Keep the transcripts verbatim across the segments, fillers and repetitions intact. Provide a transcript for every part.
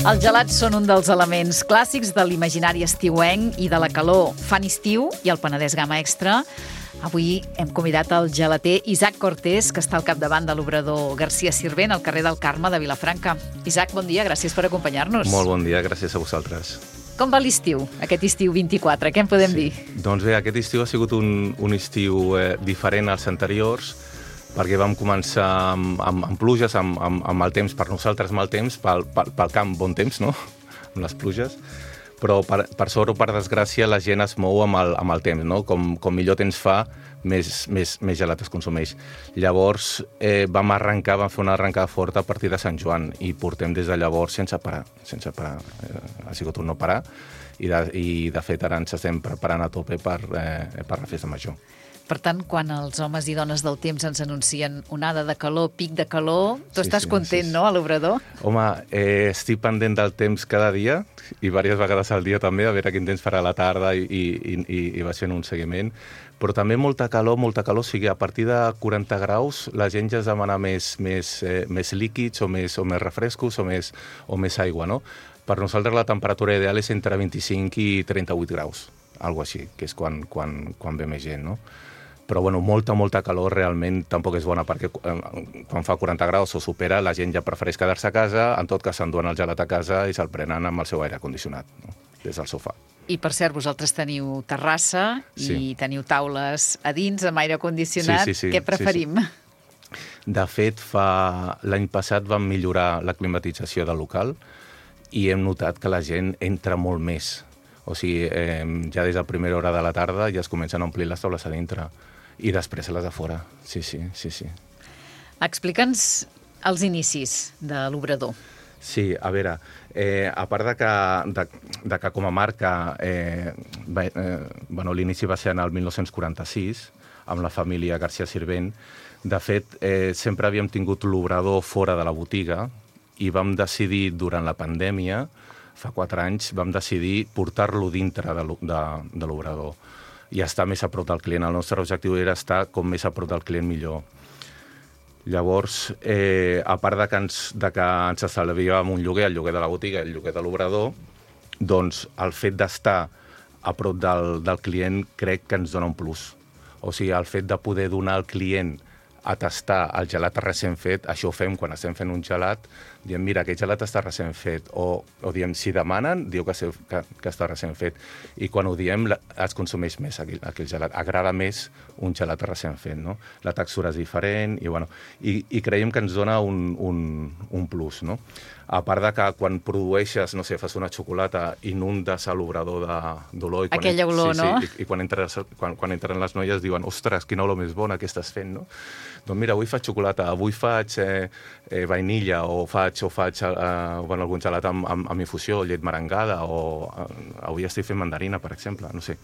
Els gelats són un dels elements clàssics de l'imaginari estiuenc i de la calor. Fan estiu i el Penedès Gamma Extra. Avui hem convidat el gelater Isaac Cortés, que està al capdavant de l'obrador Garcia Sirvent, al carrer del Carme de Vilafranca. Isaac, bon dia, gràcies per acompanyar-nos. Molt bon dia, gràcies a vosaltres. Com va l'estiu, aquest estiu vint-i-quatre? Què en podem sí. dir? Doncs bé, aquest estiu ha sigut un, un estiu eh, diferent als anteriors, perquè vam començar amb, amb, amb pluges, amb, amb, amb mal temps, per nosaltres mal temps, pel, pel, pel camp bon temps, no? Amb les pluges. Però per, per sort o per desgràcia la gent es mou amb el, amb el temps, no? Com, com millor temps fa, més, més, més gelat es consumeix. Llavors eh, vam arrencar, vam fer una arrencada forta a partir de Sant Joan i portem des de llavors sense parar, sense parar. Eh, ha sigut un no parar i de, i de fet ara ens estem preparant a tope per, eh, per la festa major. Per tant, quan els homes i dones del temps ens anuncien onada de calor, pic de calor, tu sí, estàs sí, content, sí, sí. no, a l'obrador? Home, eh, estic pendent del temps cada dia i diverses vegades al dia també, a veure quin temps farà a la tarda i, i, i, i vaig fent un seguiment. Però també molta calor, molta calor, o sigui, a partir de quaranta graus la gent ja es demana més, més, eh, més líquids o més, o més refrescos o més, o més aigua, no? Per nosaltres la temperatura ideal és entre vint-i-cinc i trenta-vuit graus, algo així, que és quan, quan, quan ve més gent, no? Però bueno, molta, molta calor realment tampoc és bona, perquè quan fa quaranta graus o supera, la gent ja prefereix quedar-se a casa, en tot cas s'enduen el gelat a casa i se'l prenen amb el seu aire condicionat, no? Des del sofà. I per cert, vosaltres teniu terrassa sí. i teniu taules a dins amb aire condicionat. Sí, sí, sí, Què preferim? Sí, sí. De fet, fa... l'any passat vam millorar la climatització del local i hem notat que la gent entra molt més. O sigui, eh, ja des de primera hora de la tarda ja es comencen a omplir les taules a dintre. I després a les de fora, sí, sí, sí, sí. Explica'ns els inicis de l'obrador. Sí, a veure, eh, a part de que, de, de que com a marca, eh, va, eh, bueno, l'inici va ser en el dinou quaranta-sis, amb la família Garcia Sirvent. De fet, eh, sempre havíem tingut l'obrador fora de la botiga i vam decidir, durant la pandèmia, fa quatre anys, vam decidir portar-lo dintre de l'obrador i estar més a prop del client. El nostre objectiu era estar com més a prop del client millor. Llavors, eh, a part de que ens, de que ens estalviàvem un lloguer, el lloguer de la botiga i el lloguer de l'obrador, doncs el fet d'estar a prop del, del client crec que ens dona un plus. O sigui, el fet de poder donar al client a tastar el gelat recent fet, això ho fem quan estem fent un gelat, diem, mira, aquest gelat està recent fet, o, o diem, si demanen, diu que, que, que està recent fet, i quan ho diem es consumeix més aquell, aquell gelat, agrada més un gelat recent fet, no? La textura és diferent, i, bueno, i, i creiem que ens dona un, un, un plus, no? A part de que quan produeixes, no sé, fas una xocolata, inundes a l'obrador d'olor... Aquella olor, sí, no? Sí, i, i quan, entres, quan, quan entren les noies diuen, ostres, quina olor més bona que estàs fent, no? Doncs mira, avui faig xocolata, avui faig eh, eh, vainilla, o faig, o faig eh, bueno, algun gelat amb, amb, amb infusió, llet merengada, o eh, avui estic fent mandarina, per exemple, no sé.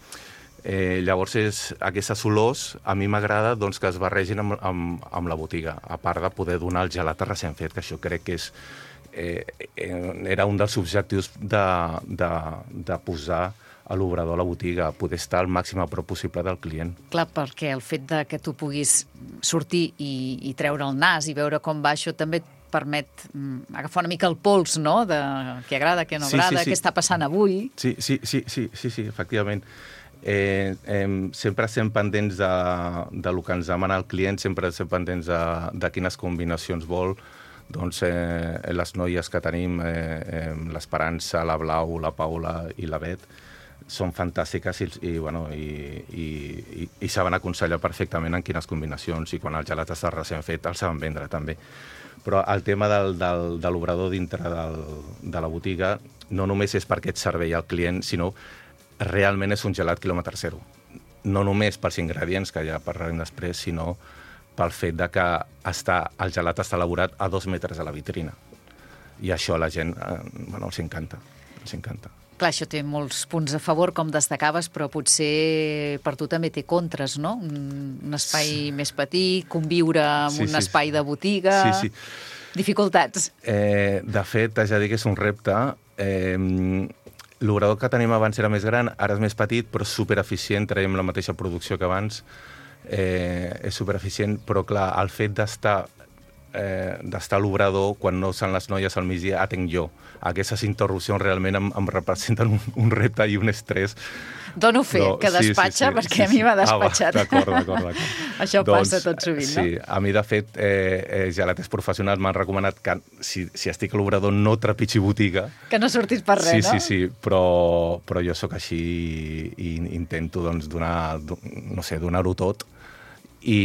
Eh, llavors, és, aquestes olors a mi m'agrada doncs, que es barregin amb, amb, amb la botiga, a part de poder donar el gelat recent fet, que això crec que és, eh, era un dels objectius de, de, de posar a l'obrador a la botiga, poder estar al màxim a prop possible del client. Clar, perquè el fet de que tu puguis sortir i, i treure el nas i veure com va, això també et permet mm, agafar una mica el pols, no?, de què agrada, què no sí, agrada, sí, sí. què està passant avui. Sí, sí, sí, sí, sí, sí, efectivament. Eh, eh, sempre estem pendents de, de lo que ens demana el client, sempre estem pendents de, de quines combinacions vol. Doncs eh, les noies que tenim, eh, eh, l'Esperança, la Blau, la Paula i la Bet, són fantàstiques i, i, bueno, i, i, i, i saben aconsellar perfectament en quines combinacions, i quan el gelat està recent fet el saben vendre també. Però el tema del, del, de l'obrador dintre del, de la botiga no només és per aquest servei al client, sinó realment és un gelat quilòmetre zero. No només pels ingredients, que ja parlarem després, sinó pel fet de que està, el gelat està elaborat a dos metres de la vitrina. I això a la gent eh, bueno, els encanta, els encanta. Clar, això té molts punts a favor, com destacaves, però potser per tu també té contres, no? Un espai sí. més petit, conviure amb sí, un sí, espai de botiga... Sí, sí. Dificultats. Eh, de fet, ja dic que és un repte. Eh, l'obrador que tenim abans era més gran, ara és més petit, però supereficient, traiem la mateixa producció que abans, eh, és supereficient, però clar, el fet d'estar eh, d'estar a l'obrador, quan no són les noies al migdia, atenc jo. Aquestes interrupcions realment em, em representen un, un repte i un estrès. Dono fe, no, que despatxa, sí, sí, sí, perquè sí, sí. a mi m'ha despatxat. Ah, d'acord, d'acord, d'acord. Això doncs, passa tot sovint, sí, no? Sí, a mi, de fet, eh, eh, gelaters professionals m'han recomanat que si, si estic a l'obrador no trepitgi botiga. Que no surtis per res, sí, no? Sí, sí, sí, però, però jo sóc així i, i intento doncs, donar, no sé, donar-ho tot. I,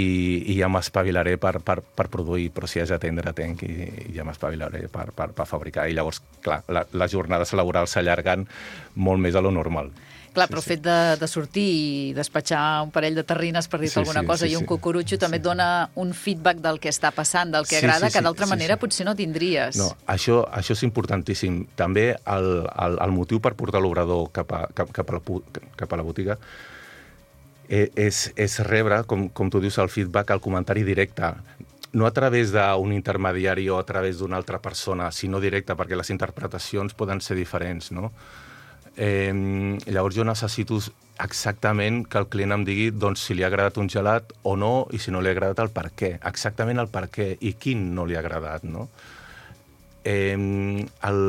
i ja m'espavilaré per, per, per produir, però si has d'atendre, atenc i, i ja m'espavilaré per, per, per fabricar. I llavors, clar, la, les jornades laborals s'allarguen molt més a lo normal. Clar, però el sí, fet de, de sortir i despatxar un parell de terrines, per dir-te sí, alguna sí, cosa, sí, i un sí. cucurutxo també sí. et dona un feedback del que està passant, del que sí, agrada, sí, sí, que d'altra sí, manera sí. potser no tindries. No, això, això és importantíssim. També el, el, el motiu per portar l'obrador cap, a, cap, cap, a la, cap a la botiga És, és rebre, com, com tu dius, el feedback, el comentari directe. No a través d'un intermediari o a través d'una altra persona, sinó directe, perquè les interpretacions poden ser diferents, no? Eh, llavors jo necessito exactament que el client em digui doncs, si li ha agradat un gelat o no, i si no li ha agradat el per què. Exactament el per què i quin no li ha agradat, no? Eh, el,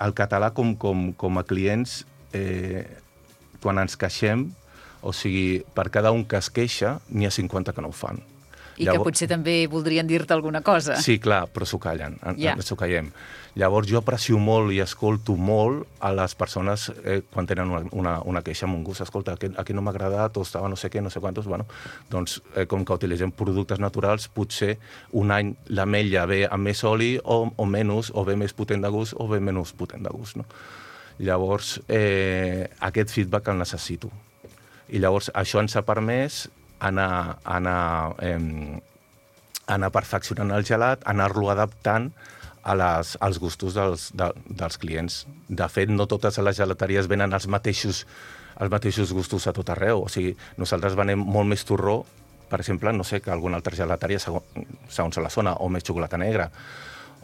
el català com, com, com a clients, eh, quan ens queixem, o sigui, per cada un que es queixa, n'hi ha cinquanta que no ho fan. I Llavors... que potser també voldrien dir-te alguna cosa. Sí, clar, però s'ho callen, yeah. s'ho callem. Llavors jo aprecio molt i escolto molt a les persones eh, quan tenen una, una, una queixa amb un gust. Escolta, aquí, aquí no m'ha agradat, o estava no sé què, no sé quantos. Bueno, doncs, eh, com que utilitzem productes naturals, potser un any l'ametlla ve amb més oli o, o menys, o ve més potent de gust o ve menys potent de gust. No? Llavors, eh, aquest feedback el necessito. I llavors això ens ha permès anar, anar, eh, anar perfeccionant el gelat, anar-lo adaptant a les, als gustos dels, de, dels clients. De fet, no totes les gelateries venen els mateixos, els mateixos gustos a tot arreu. O sigui, nosaltres venem molt més torró, per exemple, no sé, que alguna altra gelateria, segons la zona, o més xocolata negra,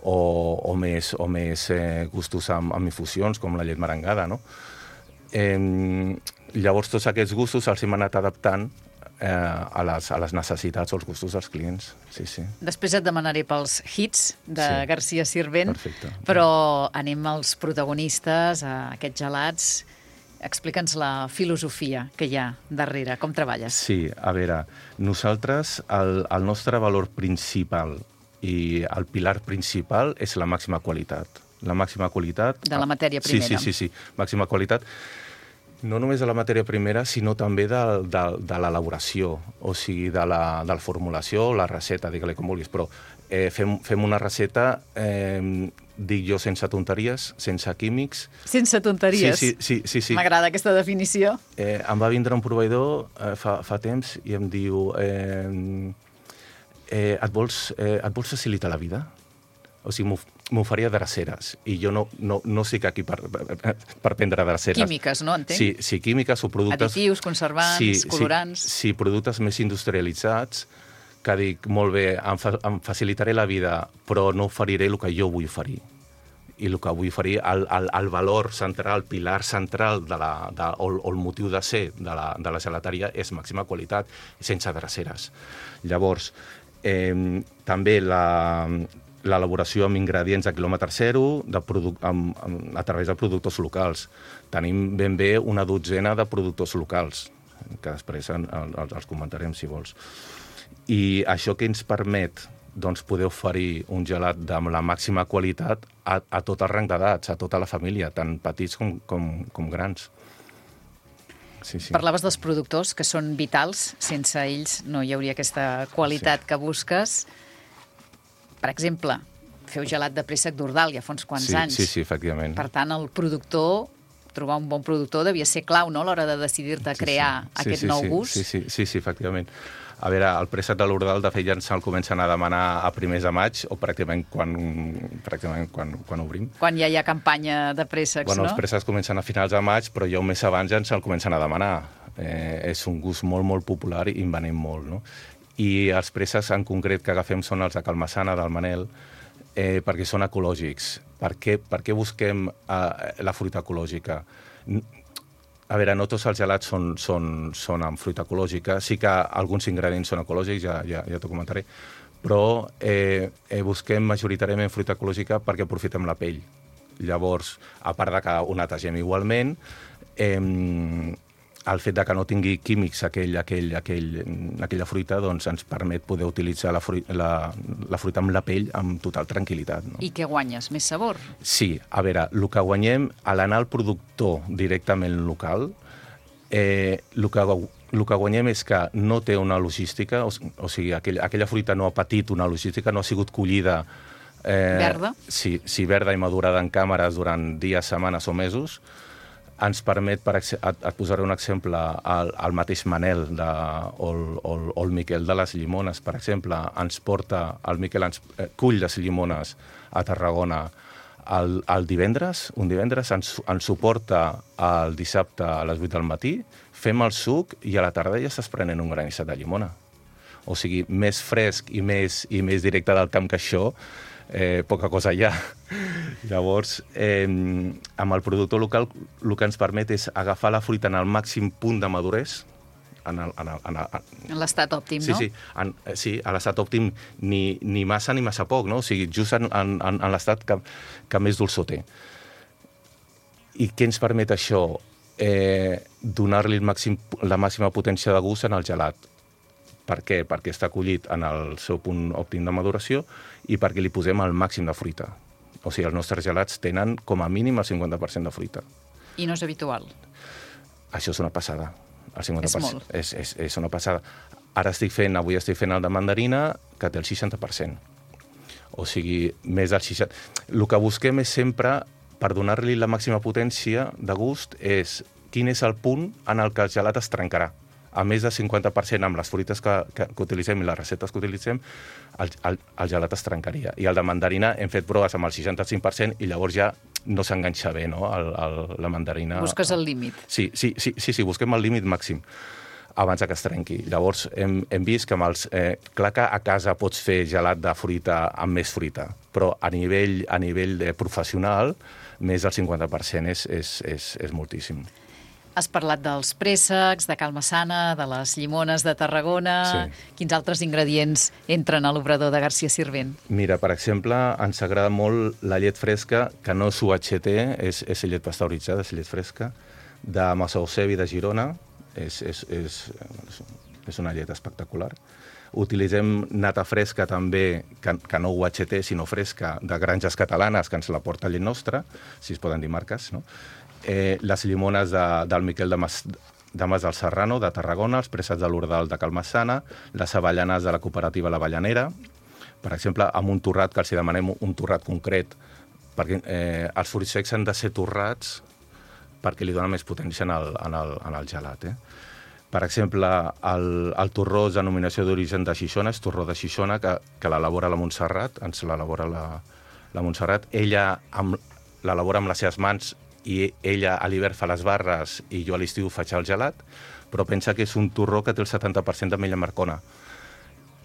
o, o més, o més eh, gustos amb, amb infusions, com la llet merengada, no? Eh, llavors tots aquests gustos els hem anat adaptant eh, a, les, a les necessitats o els gustos dels clients. Sí, sí. Després et demanaré pels hits de sí. Garcia Sirvent, perfecte. Però anem als protagonistes, a aquests gelats. Explica'ns la filosofia que hi ha darrere, com treballes. Sí, a veure, nosaltres, el, el nostre valor principal i el pilar principal és la màxima qualitat. La màxima qualitat... De la matèria primera. Sí, sí, sí, sí. Màxima qualitat. No només de la matèria primera, sinó també de, de, de l'elaboració, o sigui, de la, de la formulació, la recepta, digue-li com vulguis, però eh, fem, fem una recepta, eh, dic jo, sense tonteries, sense químics. Sense tonteries? Sí, sí, sí. sí, sí. M'agrada aquesta definició. Eh, em va vindre un proveïdor eh, fa, fa temps i em diu eh, eh, et, vols, eh, et vols facilitar la vida? O sigui, m'oferia dreceres, i jo no, no, no estic aquí per, per prendre dreceres. Químiques, no? Entenc? Sí, sí, químiques o productes... Additius, conservants, sí, colorants... Sí, sí, productes més industrialitzats, que dic, molt bé, em, fa, em facilitaré la vida, però no oferiré el que jo vull oferir. I el que vull oferir, el, el, el valor central, el pilar central de la, de, o, o el motiu de ser de la, de la gelateria és màxima qualitat, sense dreceres. Llavors, eh, també la... l'elaboració amb ingredients a quilòmetre zero de amb, amb, a través de productors locals. Tenim ben bé una dotzena de productors locals, que després en, els, els comentarem, si vols. I això que ens permet doncs, poder oferir un gelat amb la màxima qualitat a, a tot el rang d'edats, a tota la família, tant petits com, com, com grans. Sí, sí. Parlaves dels productors, que són vitals. Sense ells no hi hauria aquesta qualitat sí. que busques. Per exemple, feu gelat de préssec d'Ordal ja fa uns quants sí, anys. Sí, sí, efectivament. Per tant, el productor, trobar un bon productor devia ser clau, no?, a l'hora de decidir-te a crear sí, sí. aquest sí, sí, nou sí, gust. Sí, sí, sí, sí, efectivament. A veure, el préssec de l'Ordal, de fet, ja se'l comencen a demanar a primers de maig, o pràcticament quan, pràcticament quan, quan obrim. Quan ja hi ha campanya de préssecs, bueno, no? Els préssecs comencen a finals de maig, però ja un mes abans ja se'l comencen a demanar. Eh, és un gust molt, molt popular i en venem molt, no? I els préssecs en concret que agafem són els de Calmassana, del Manel, eh, perquè són ecològics. Per què, per què busquem eh, la fruita ecològica? A veure, no tots els gelats són, són, són amb fruita ecològica, sí que alguns ingredients són ecològics, ja, ja, ja t'ho comentaré, però eh, eh, busquem majoritàriament fruita ecològica perquè aprofitem la pell. Llavors, a part de que ho netegem igualment, eh, el fet de que no tingui químics aquell, aquell, aquell, aquella fruita doncs ens permet poder utilitzar la fruita, la, la fruita amb la pell amb total tranquil·litat. No? I què guanyes? Més sabor? Sí, a veure, el que guanyem a l'anar al productor directament local, eh, el, que, el que guanyem és que no té una logística, o, o sigui, aquell, aquella fruita no ha patit una logística, no ha sigut collida eh, verda? Sí, sí, verda i madurada en càmeres durant dies, setmanes o mesos. Ens permet, per et, et posaré un exemple, el, el mateix Manel de, o, el, o, el, o el Miquel de les llimones, per exemple, ens porta, el Miquel ens eh, cull les llimones a Tarragona el, el divendres, un divendres, ens, ens suporta el dissabte a les vuit del matí, fem el suc i a la tarda ja estàs prenent un granissat de llimona. O sigui, més fresc i més, i més directe del camp que això, Eh, poca cosa hi ha. Llavors, eh, amb el productor local, el que ens permet és agafar la fruita en el màxim punt de maduresa, en l'estat òptim, sí, no? Sí, en, sí, a l'estat òptim ni, ni massa ni massa poc, no? O sigui, just en, en, en l'estat que, que més dolçor té. I què ens permet això? Eh, donar-li màxim, la màxima potència de gust en el gelat. Per què? Perquè està collit en el seu punt òptim de maduració i perquè li posem el màxim de fruita. O sigui, els nostres gelats tenen com a mínim el cinquanta per cent de fruita. I no és habitual? Això és una passada. El cinquanta per cent. És molt. És, és, és una passada. Ara estic fent, avui estic fent el de mandarina, que té el seixanta per cent. O sigui, més del seixanta per cent. El que busquem és sempre, per donar-li la màxima potència de gust, és quin és el punt en el que el gelat es trencarà. A més del cinquanta per cent amb les fruites que, que, que utilitzem i les receptes que utilitzem, el, el, el gelat es trencaria. I el de mandarina hem fet proves amb el seixanta-cinc per cent i llavors ja no s'enganxa bé, no?, el, el, la mandarina. Busques el límit. Sí, sí, sí, sí, sí, busquem el límit màxim abans que es trenqui. Llavors hem, hem vist que amb els... Eh, clar que a casa pots fer gelat de fruita amb més fruita, però a nivell, a nivell de professional, més del cinquanta per cent és, és, és, és moltíssim. Has parlat dels préssecs, de Calmassana, de les llimones de Tarragona. Sí. Quins altres ingredients entren a l'obrador de Garcia Sirvent? Mira, per exemple, ens agrada molt la llet fresca, que no és U H T, és, és llet pasteuritzada, és llet fresca, de Massaosebi de Girona. És, és, és, és una llet espectacular. Utilitzem nata fresca també, que, que no U H T, sinó fresca, de granges catalanes, que ens la porta llet nostra, si es poden dir marques, no? Eh, les llimones de, del Miquel de Mas, de Mas del Serrano, de Tarragona, els préssecs de l'Ordal de Calmassana, les avellanes de la cooperativa La Avellanera, per exemple, amb un torrat, que els demanem un torrat concret, perquè eh, els fruits secs han de ser torrats perquè li dona més potència en el, en el, en el gelat. Eh? Per exemple, el, el torró és denominació d'origen de Xixona, és torró de Xixona, que, que l'elabora la Montserrat, ens l'elabora la, la Montserrat. Ella l'elabora amb les seves mans i ella a l'hivern fa les barres i jo a l'estiu faig el gelat, però pensa que és un torró que té el setanta per cent d'ametlla marcona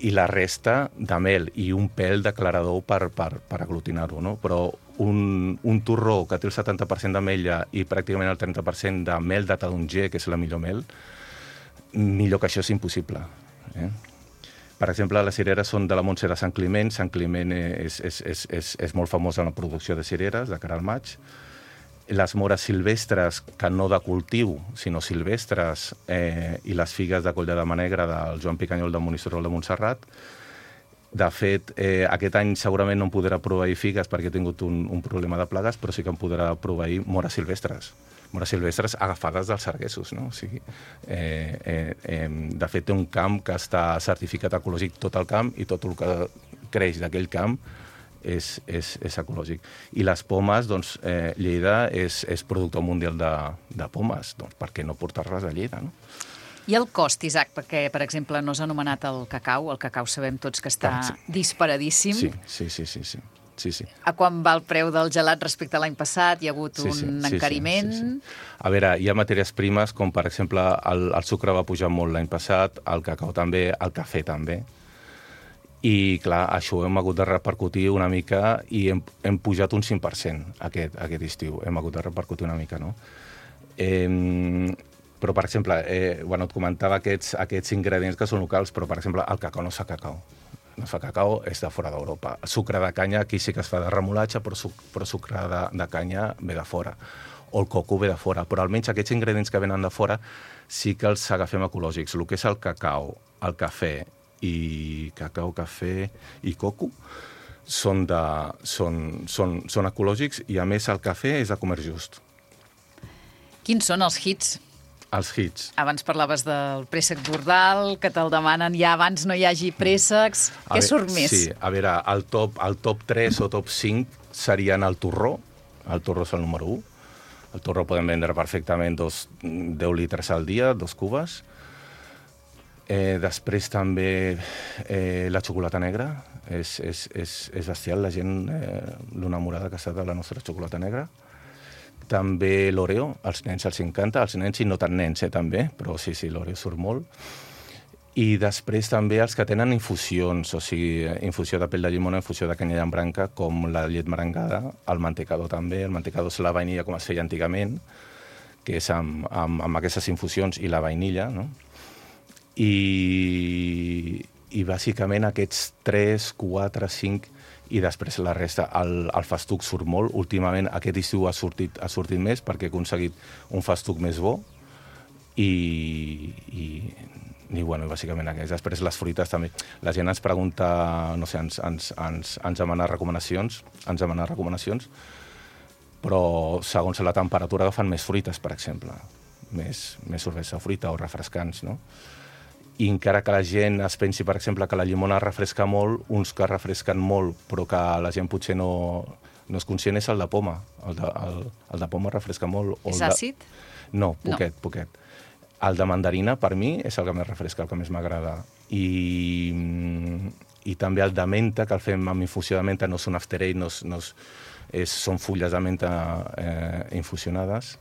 i la resta de mel i un pèl d'aclarador per, per, per aglutinar-ho, no? Però un, un torró que té el setanta per cent d'ametlla i pràcticament el trenta per cent de mel de taronger, que és la millor mel, millor que això és impossible. Eh? Per exemple, les cireres són de la Montse de Sant Climent. Sant Climent és, és, és, és, és molt famós en la producció de cireres, de cara al maig. Les mores silvestres, que no de cultiu, sinó silvestres, eh, i les figues de Coll de Dama Negra del Joan Picanyol del Monistrol de Montserrat. De fet, eh, aquest any segurament no em podrà proveir figues perquè he tingut un, un problema de plagues, però sí que em podrà proveir mores silvestres. Mores silvestres agafades dels sarguessos, no? O sigui, eh, eh, eh, de fet, té un camp que està certificat ecològic tot el camp i tot el que creix d'aquell camp És, és, és ecològic. I les pomes, doncs, eh, Lleida és, és productor mundial de, de pomes, doncs per què no portar-les a Lleida, no? I el cost, Isaac, perquè, per exemple, no s'ha anomenat el cacau, el cacau sabem tots que està sí. disparadíssim. Sí, sí, sí, sí, sí. Sí, sí. A quan va el preu del gelat respecte a l'any passat? Hi ha hagut sí, un sí, sí, encariment? Sí, sí, sí. A veure, hi ha matèries primes, com per exemple el, el sucre va pujar molt l'any passat, el cacau també, el cafè també. I, clar, això ho hem hagut de repercutir una mica i hem, hem pujat un cinc per cent aquest, aquest estiu. Hem hagut de repercutir una mica, no? Eh, però, per exemple, eh, bueno, et comentava aquests, aquests ingredients que són locals, però, per exemple, el cacau no es fa cacau. No es fa cacau, és de fora d'Europa. Sucre de canya, aquí sí que es fa de remolatge, però, suc, però sucre de, de canya ve de fora. O el coco ve de fora. Però almenys aquests ingredients que venen de fora sí que els agafem ecològics. El que és el cacau, el cafè i cacau, cafè i coco són, de, són, són, són ecològics i, a més, el cafè és de comerç just. Quins són els hits? Els hits. Abans parlaves del préssec bordal, que te'l demanen ja abans no hi hagi préssecs. A Què ve- surt més? Sí, a veure, el top, el top tres o top cinc serien el torró. El torró és el número u. El torró podem vendre perfectament dos, deu litres al dia, dos cubes. Eh, després també eh, la xocolata negra. És, és, és, és bestial, la gent, eh, l'enamorada que està de la nostra xocolata negra. També l'Oreo, als nens els encanta, als nens i no tan nens, eh, també, però sí, sí, l'Oreo surt molt. I després també els que tenen infusions, o sigui, infusió de pell de llimona, infusió de canya llambranca, com la llet merengada, el mantecador també, el mantecador és la vainilla com es feia antigament, que és amb, amb, amb aquestes infusions i la vainilla, no? I, i bàsicament aquests tres, quatre, cinc i després la resta. El, el festuc surt molt. Últimament aquest estiu ha sortit, ha sortit més perquè he aconseguit un festuc més bo i, i, i bueno, bàsicament aquest. Després les fruites també. La gent ens pregunta, no sé, ens, ens, ens, ens demana recomanacions, ens demana recomanacions, però segons la temperatura agafen més fruites, per exemple. Més, més cervesa fruita o refrescants, no? I encara que la gent es pensi, per exemple, que la llimona refresca molt, uns que refresquen molt, però que la gent potser no, no és conscient, és el de poma. El de, el, el de poma refresca molt. O És el de... àcid? No, poquet, No. poquet. El de mandarina, per mi, és el que més refresca, el que més m'agrada. I, I també el de menta, que el fem amb infusió de menta, no és un after eight, no és, no és, és, són fulles de menta eh, infusionades,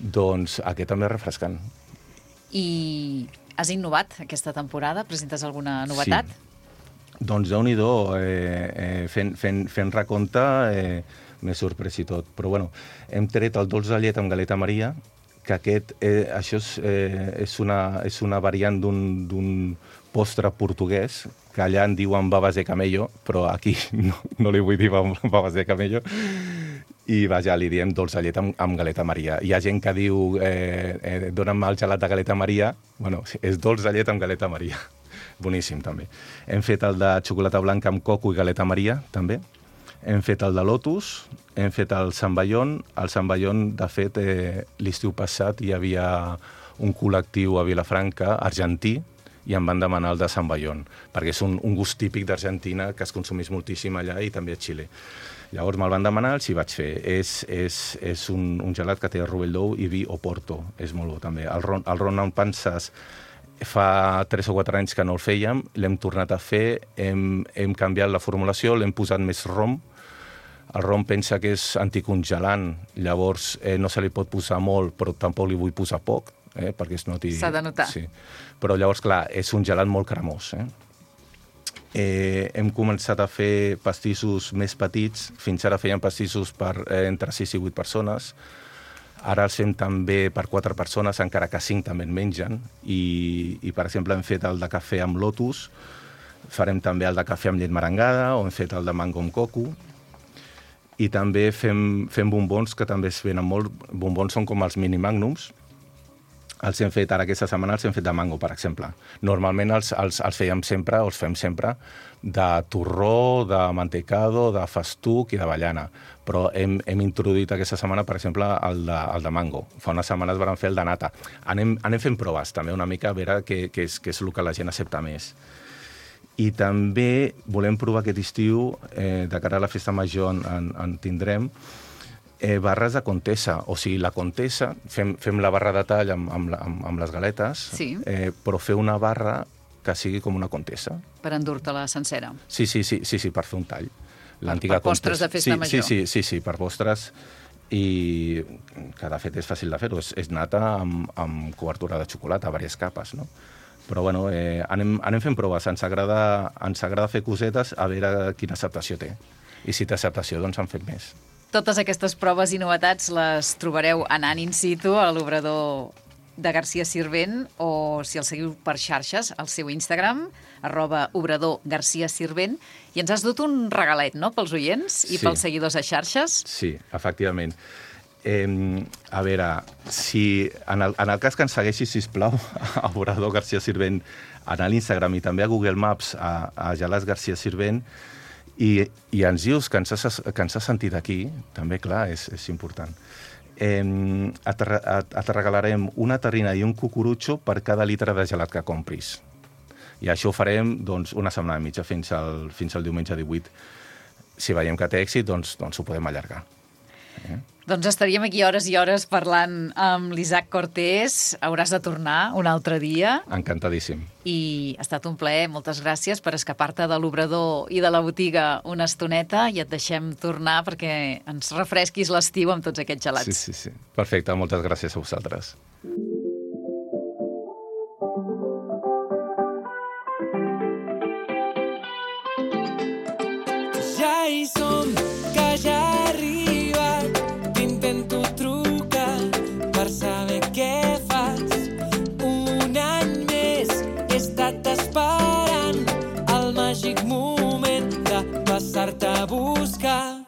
doncs aquest també és refrescant. I has innovat aquesta temporada? Presentes alguna novetat? Sí. Doncs déu-n'hi-do, eh, eh, fent, fent, fent recompte eh, m'he sorprès i tot. Però bueno, hem tret el dolç de llet amb galeta Maria, que aquest, eh, això és, eh, és, una, és una variant d'un postre portuguès, que allà en diuen babas de camello, però aquí no, no li vull dir babas de camello, i vaja, li diem dolç de llet amb, amb galeta Maria. Hi ha gent que diu, eh, eh, dona'm el gelat de galeta Maria, bueno, és dolç de llet amb galeta Maria. Boníssim, també. Hem fet el de xocolata blanca amb coco i galeta Maria, també. Hem fet el de lotus, hem fet el samballón. El samballón, de fet, eh, l'estiu passat hi havia un col·lectiu a Vilafranca, argentí, i em van demanar el de samballón, perquè és un, un gust típic d'Argentina que es consumís moltíssim allà i també a Xile. Llavors me'l van demanar, els hi vaig fer. És, és, és un, un gelat que té rovell d'ou i vi o porto. És molt bo, també. El ron, el ron amb panses fa tres o quatre anys que no el fèiem, l'hem tornat a fer, hem, hem canviat la formulació, l'hem posat més rom. El rom pensa que és anticongelant, llavors eh, no se li pot posar molt, però tampoc li vull posar poc, eh, perquè es noti... S'ha de notar. Sí. Però llavors, clar, és un gelat molt cremós, eh? Eh, hem començat a fer pastissos més petits. Fins ara fèiem pastissos per eh, entre sis i vuit persones. Ara els fem també per quatre persones, encara que cinc també en mengen. I, i per exemple, hem fet el de cafè amb lotus, farem també el de cafè amb llet merengada, o hem fet el de mango amb coco. I també fem, fem bombons, que també es venen molt. Bombons són com els mini magnums. Els hem fet, ara aquesta setmana els hem fet de mango, per exemple. Normalment els, els, els fèiem sempre, o els fem sempre, de torró, de mantecado, de festuc i d'avellana. Però hem, hem introduït aquesta setmana, per exemple, el de, el de mango. Fa unes setmanes vam fer el de nata. Anem, anem fent proves, també, una mica, a veure què, què, és, què és el que la gent accepta més. I també volem provar aquest estiu, eh, de cara a la festa major en, en, en tindrem, Eh, barres de Contessa, o sigui, la Contessa, fem, fem la barra de tall amb, amb, amb, amb les galetes, Sí. eh, però fer una barra que sigui com una Contessa. Per endur-te-la sencera. Sí, sí, sí, sí, sí, per fer un tall. L'antiga per postres Contessa. de festa sí, major. Sí, sí, sí, sí, per postres, i que de fet és fàcil de fer-ho, és, és nata amb, amb cobertura de xocolata, diverses capes, no? Però bueno, eh, anem, anem fent proves. Ens agrada, ens agrada fer cosetes a veure quina acceptació té. I si té acceptació, doncs en fem més. Totes aquestes proves i novetats les trobareu anant in situ a l'obrador de Garcia Sirvent, o si el seguiu per xarxes, al seu Instagram, arroba obrador Garcia Sirvent, i ens has dut un regalet, no?, pels oients i sí. pels seguidors a xarxes. Sí, efectivament. Eh, a veure, si en el, en el cas que ens segueixi, sisplau, a obrador Garcia Sirvent, a l'Instagram i també a Google Maps, a, a Gelats Garcia Sirvent, i, i ens dius que ens has, que ens has sentit aquí, també, clar, és, és important. Eh, et, et, et regalarem una terrina i un cucurutxo per cada litre de gelat que compris. I això ho farem doncs, una setmana i mitja, fins al, fins al diumenge divuit. Si veiem que té èxit, doncs, doncs ho podem allargar. Eh? Doncs estaríem aquí hores i hores parlant amb l'Isaac Cortés. Hauràs de tornar un altre dia. Encantadíssim. I ha estat un plaer. Moltes gràcies per escapar-te de l'obrador i de la botiga una estoneta, i et deixem tornar perquè ens refresquis l'estiu amb tots aquests gelats. Sí, sí, sí. Perfecte. Moltes gràcies a vosaltres. Ja hi som, que ja ha arribat. T'intento trucar per saber què fas. Un any més he estat esperant el màgic moment de passar-te a buscar.